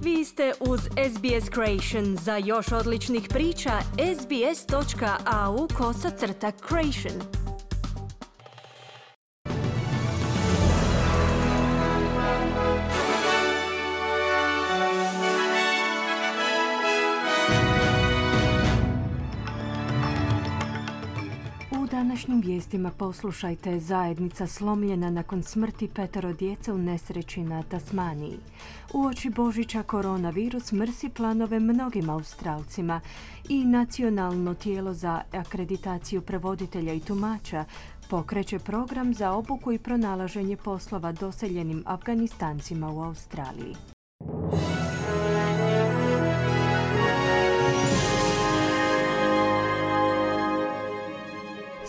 Vi ste uz SBS Creation. Za još odličnih priča, sbs.au/creation. U današnjim vijestima poslušajte: zajednica slomljena nakon smrti 5 djece u nesreći na Tasmaniji. Uoči Božića koronavirus mrsi planove mnogim Australcima i nacionalno tijelo za akreditaciju prevoditelja i tumača pokreće program za obuku i pronalaženje poslova doseljenim Afganistancima u Australiji.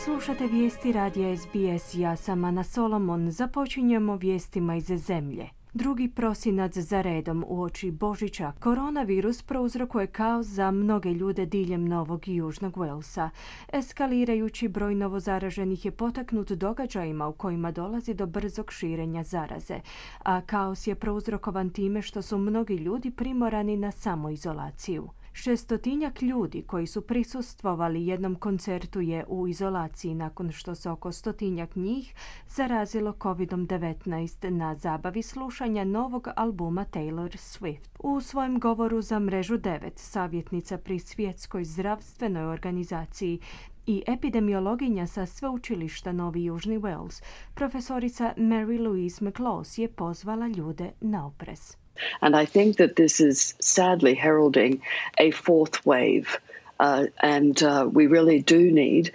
Slušate vijesti radija SBS. Ja sam Ana Solomon. Započinjemo vijestima iz zemlje. 2. prosinac za redom uoči Božića koronavirus prouzrokuje kaos za mnoge ljude diljem Novog i Južnog Walesa. Eskalirajući broj novozaraženih je potaknut događajima u kojima dolazi do brzog širenja zaraze, a kaos je prouzrokovan time što su mnogi ljudi primorani na samoizolaciju. 600 ljudi koji su prisustvovali jednom koncertu je u izolaciji nakon što se oko 100 njih zarazilo COVID-19 na zabavi slušanja novog albuma Taylor Swift. U svojem govoru za mrežu 9, savjetnica pri Svjetskoj zdravstvenoj organizaciji i epidemiologinja sa sveučilišta Novi Južni Wales, profesorica Mary Louise McLaws je pozvala ljude na oprez. And I think that this is sadly heralding a fourth wave. We really do need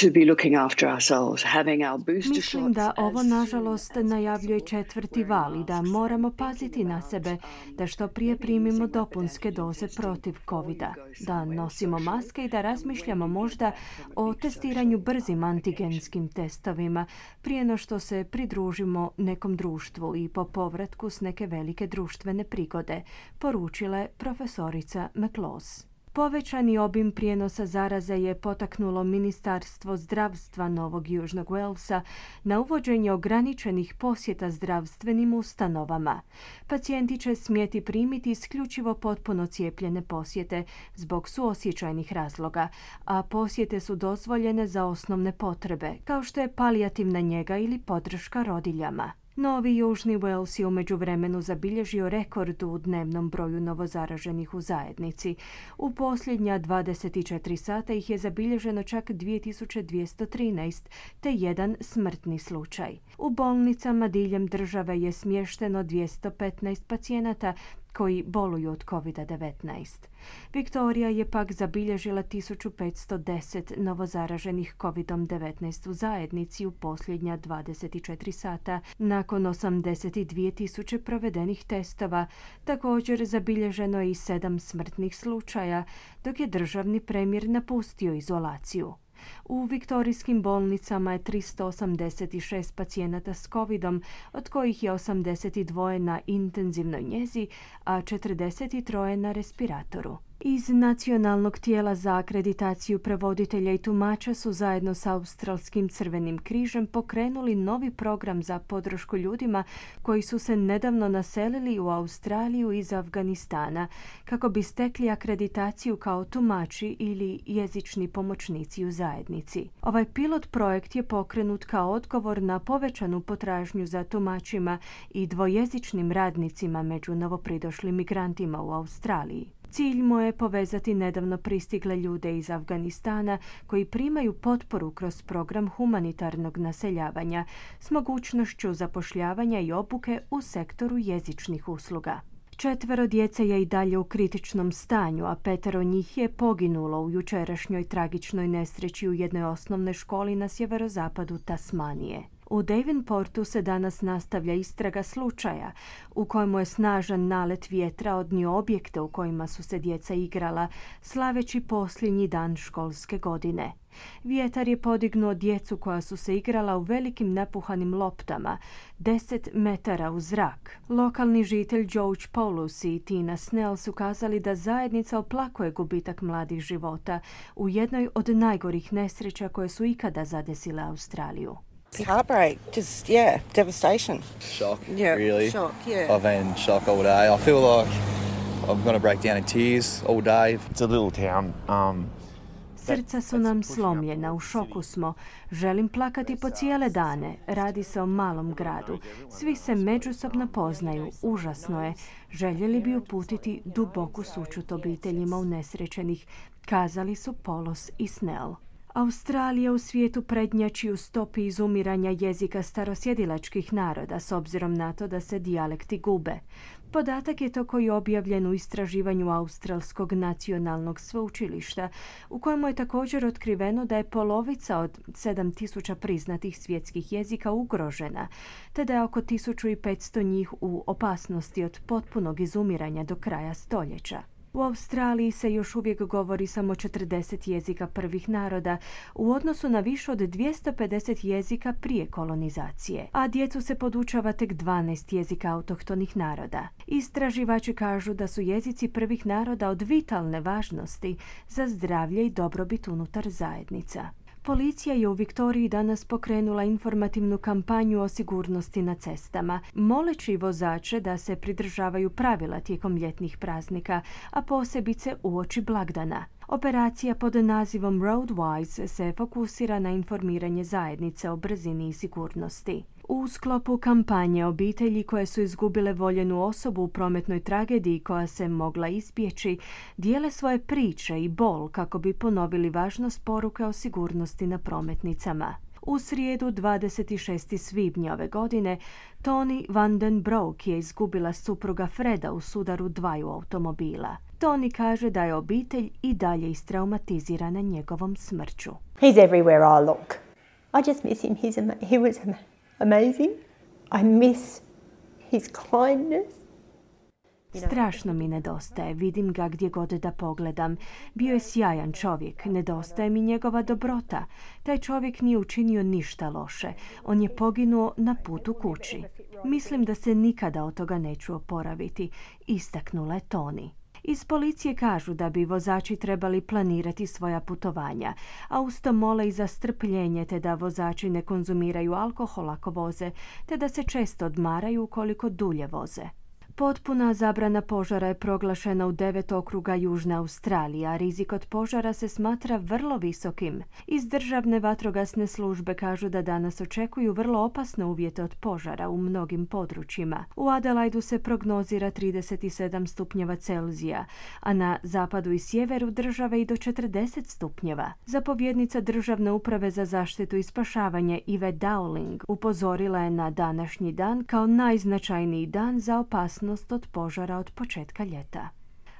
to be looking after ourselves, having our booster shots. Mislim da ovo nažalost najavljuje 4. val i da moramo paziti na sebe da što prije primimo dopunske doze protiv covida, da nosimo maske i da razmišljamo možda o testiranju brzim antigenskim testovima prije no što se pridružimo nekom društvu i po povratku s neke velike društvene prigode, poručila je profesorica McLaws. Povećani obim prijenosa zaraze je potaknulo Ministarstvo zdravstva Novog Južnog Walesa na uvođenje ograničenih posjeta zdravstvenim ustanovama. Pacijenti će smjeti primiti isključivo potpuno cijepljene posjete zbog suosjećajnih razloga, a posjete su dozvoljene za osnovne potrebe, kao što je palijativna njega ili podrška rodiljama. Novi Južni Wales je u međuvremenu zabilježio rekord u dnevnom broju novozaraženih u zajednici. U posljednja 24 sata ih je zabilježeno čak 2213, te jedan smrtni slučaj. U bolnicama diljem države je smješteno 215 pacijenata koji boluju od COVID-19. Viktorija je pak zabilježila 1510 novozaraženih COVID-19 u zajednici u posljednja 24 sata. Nakon 82.000 provedenih testova, također zabilježeno je i 7 smrtnih slučaja, dok je državni premijer napustio izolaciju. U viktorijskim bolnicama je 386 pacijenata s covidom, od kojih je 82 na intenzivnoj njezi, a 43 na respiratoru. Iz Nacionalnog tijela za akreditaciju prevoditelja i tumača su zajedno s Australskim crvenim križem pokrenuli novi program za podršku ljudima koji su se nedavno naselili u Australiju iz Afganistana kako bi stekli akreditaciju kao tumači ili jezični pomoćnici u zajednici. Ovaj pilot projekt je pokrenut kao odgovor na povećanu potražnju za tumačima i dvojezičnim radnicima među novopridošlim migrantima u Australiji. Cilj mu je povezati nedavno pristigle ljude iz Afganistana koji primaju potporu kroz program humanitarnog naseljavanja s mogućnošću zapošljavanja i obuke u sektoru jezičnih usluga. 4 djece je i dalje u kritičnom stanju, a 5 njih je poginulo u jučerašnjoj tragičnoj nesreći u jednoj osnovnoj školi na sjeverozapadu Tasmanije. U Devonportu se danas nastavlja istraga slučaja u kojemu je snažan nalet vjetra odnio objekte u kojima su se djeca igrala, slaveći posljednji dan školske godine. Vjetar je podignuo djecu koja su se igrala u velikim napuhanim loptama, 10 metara u zrak. Lokalni žitelj George Paulus i Tina Snell su kazali da zajednica oplakuje gubitak mladih života u jednoj od najgorih nesreća koje su ikada zadesile Australiju. Heartbreak, just, devastation. Shock, Yeah, really. shock, yeah. I've been in shock all day. I feel like I'm going to break down in tears all day. It's a little town. Srca su nam slomljena, u šoku smo. Želim plakati po cijele dane. Radi se o malom gradu. Svi se međusobno poznaju. Užasno je. Željeli bi uputiti duboku sućut obiteljima unesrećenih, kazali su Polos i Snell. Australija u svijetu prednjači u stopi izumiranja jezika starosjedilačkih naroda s obzirom na to da se dijalekti gube. Podatak je to koji je objavljen u istraživanju Australskog nacionalnog sveučilišta, u kojemu je također otkriveno da je polovica od 7000 priznatih svjetskih jezika ugrožena, te da je oko 1500 njih u opasnosti od potpunog izumiranja do kraja stoljeća. U Australiji se još uvijek govori samo 40 jezika prvih naroda u odnosu na više od 250 jezika prije kolonizacije, a djecu se podučava tek 12 jezika autohtonih naroda. Istraživači kažu da su jezici prvih naroda od vitalne važnosti za zdravlje i dobrobit unutar zajednica. Policija je u Viktoriji danas pokrenula informativnu kampanju o sigurnosti na cestama, moleći vozače da se pridržavaju pravila tijekom ljetnih praznika, a posebice uoči blagdana. Operacija pod nazivom Roadwise se fokusira na informiranje zajednice o brzini i sigurnosti. U sklopu kampanje obitelji koje su izgubile voljenu osobu u prometnoj tragediji koja se mogla izbjeći, dijele svoje priče i bol kako bi ponovili važnost poruke o sigurnosti na prometnicama. U srijedu 26. svibnja ove godine Toni van den Broek je izgubila supruga Freda u sudaru dvaju automobila. Toni kaže da je obitelj i dalje istraumatizirana njegovom smrću. He's everywhere I look. I just miss him. He was amazing. I miss his kindness. Strašno mi nedostaje, vidim ga gdje god da pogledam. Bio je sjajan čovjek, nedostaje mi njegova dobrota. Taj čovjek nije učinio ništa loše, on je poginuo na putu kući. Mislim da se nikada od toga neću oporaviti, istaknula je Toni. Iz policije kažu da bi vozači trebali planirati svoja putovanja, a uz to mole i za strpljenje te da vozači ne konzumiraju alkohol ako voze, te da se često odmaraju ukoliko dulje voze. Potpuna zabrana požara je proglašena u 9 okruga Južne Australije, a rizik od požara se smatra vrlo visokim. Iz državne vatrogasne službe kažu da danas očekuju vrlo opasne uvjete od požara u mnogim područjima. U Adelaidu se prognozira 37 stupnjeva Celzija, a na zapadu i sjeveru države i do 40 stupnjeva. Zapovjednica Državne uprave za zaštitu i spašavanje Yvette Dowling upozorila je na današnji dan kao najznačajniji dan za opasnost od požara od početka ljeta.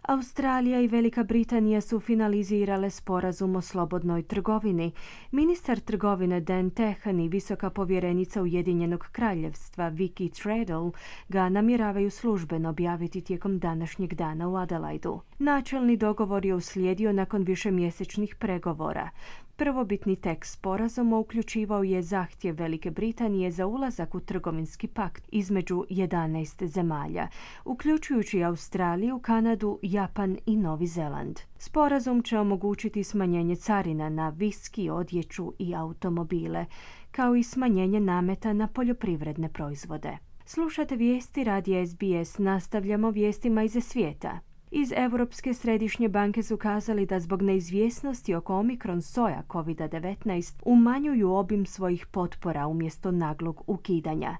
Australija i Velika Britanija su finalizirale sporazum o slobodnoj trgovini. Ministar trgovine Dan Tehan i visoka povjerenica Ujedinjenog kraljevstva Vicky Treadle ga namjeravaju službeno objaviti tijekom današnjeg dana u Adelaidu. Načelni dogovor je uslijedio nakon višemjesečnih pregovora. Prvobitni tekst sporazuma uključivao je zahtjev Velike Britanije za ulazak u trgovinski pakt između 11 zemalja, uključujući Australiju, Kanadu, Japan i Novi Zeland. Sporazum će omogućiti smanjenje carina na viski, odjeću i automobile, kao i smanjenje nameta na poljoprivredne proizvode. Slušate vijesti radija SBS, nastavljamo vijestima iz svijeta. Iz Europske središnje banke su kazali da zbog neizvjesnosti oko omikron soja COVID-19 umanjuju obim svojih potpora umjesto naglog ukidanja.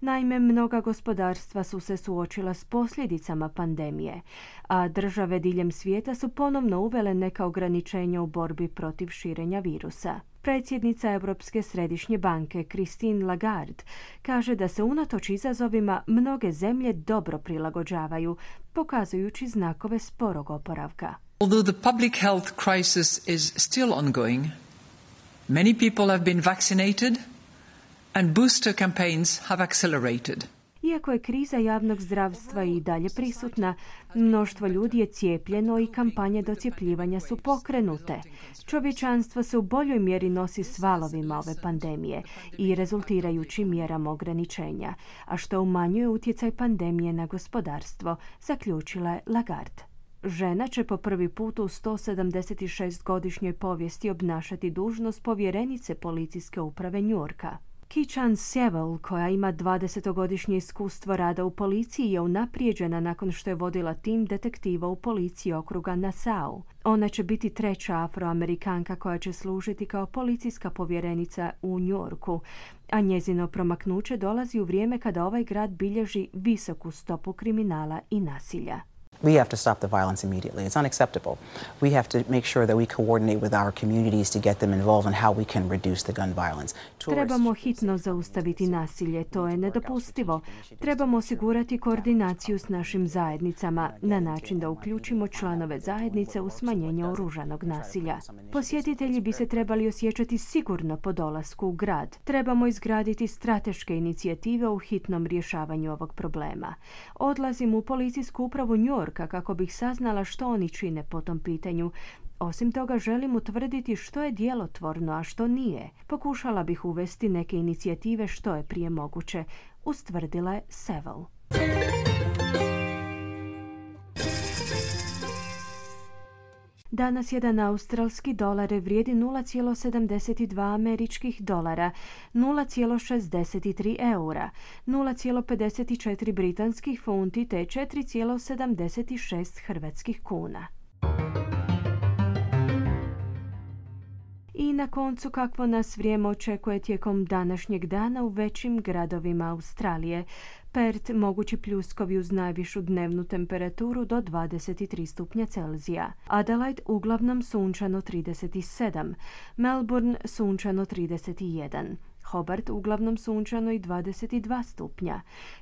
Naime, mnoga gospodarstva su se suočila s posljedicama pandemije, a države diljem svijeta su ponovno uvele neka ograničenja u borbi protiv širenja virusa. Predsjednica Europske središnje banke Christine Lagarde kaže da se unatoč izazovima mnoge zemlje dobro prilagođavaju, pokazujući znakove sporog oporavka. Although the public health crisis is still ongoing, many people have been vaccinated and booster campaigns have accelerated. Iako je kriza javnog zdravstva i dalje prisutna, mnoštvo ljudi je cijepljeno i kampanje docjepljivanja su pokrenute. Čovječanstvo se u boljoj mjeri nosi s valovima ove pandemije i rezultirajući mjerama ograničenja, a što umanjuje utjecaj pandemije na gospodarstvo, zaključila je Lagarde. Žena će po prvi put u 176-godišnjoj povijesti obnašati dužnost povjerenice policijske uprave Njujorka. Ki-Chan Sewell, koja ima 20-godišnje iskustvo rada u policiji, je unaprijeđena nakon što je vodila tim detektiva u policiji okruga Nassau. Ona će biti treća Afroamerikanka koja će služiti kao policijska povjerenica u New Yorku, a njezino promaknuće dolazi u vrijeme kada ovaj grad bilježi visoku stopu kriminala i nasilja. We have to stop the violence immediately. It's unacceptable. We have to make sure that we coordinate with our communities to get them involved in how we can reduce the gun violence. Trebamo hitno zaustaviti nasilje, to je nedopustivo. Trebamo osigurati koordinaciju s našim zajednicama na način da uključimo članove zajednice u smanjenje oružanog nasilja. Posjetitelji bi se trebali osjećati sigurno po dolasku u grad. Trebamo izgraditi strateške inicijative u hitnom rješavanju ovog problema. Odlazim u policijsku upravu New Yorka kako bih saznala što oni čine po tom pitanju. Osim toga, želim utvrditi što je djelotvorno, a što nije. Pokušala bih uvesti neke inicijative što je prije moguće, ustvrdila je Sewell. Danas jedan australski dolar vrijedi 0,72 američkih dolara, 0,63 eura, 0,54 britanskih funti te 4,76 hrvatskih kuna. I na koncu, kakvo nas vrijeme očekuje tijekom današnjeg dana u većim gradovima Australije. Perth mogući pljuskovi uz najvišu dnevnu temperaturu do 23 stupnja Celzija. Adelaide uglavnom sunčano 37. Melbourne sunčano 31. Hobart uglavnom sunčano i 22 stupnja.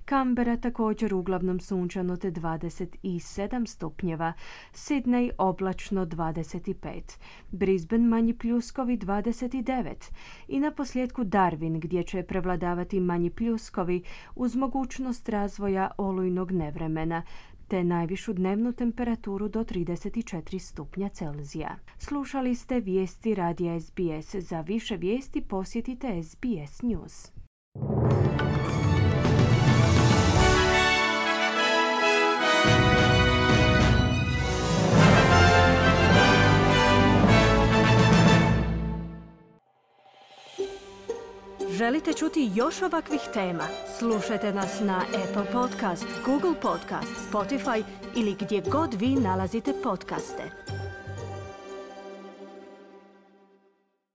Canberra također uglavnom sunčano te 27 stupnjeva. Sydney oblačno 25. Brisbane manji pljuskovi 29. I na posljedku Darwin gdje će prevladavati manji pljuskovi uz mogućnost razvoja olujnog nevremena te najvišu dnevnu temperaturu do 34 stupnja Celzija. Slušali ste vijesti radija SBS. Za više vijesti posjetite SBS News. Želite čuti još ovakvih tema? Slušajte nas na Apple Podcast, Google Podcast, Spotify ili gdje god vi nalazite podcaste.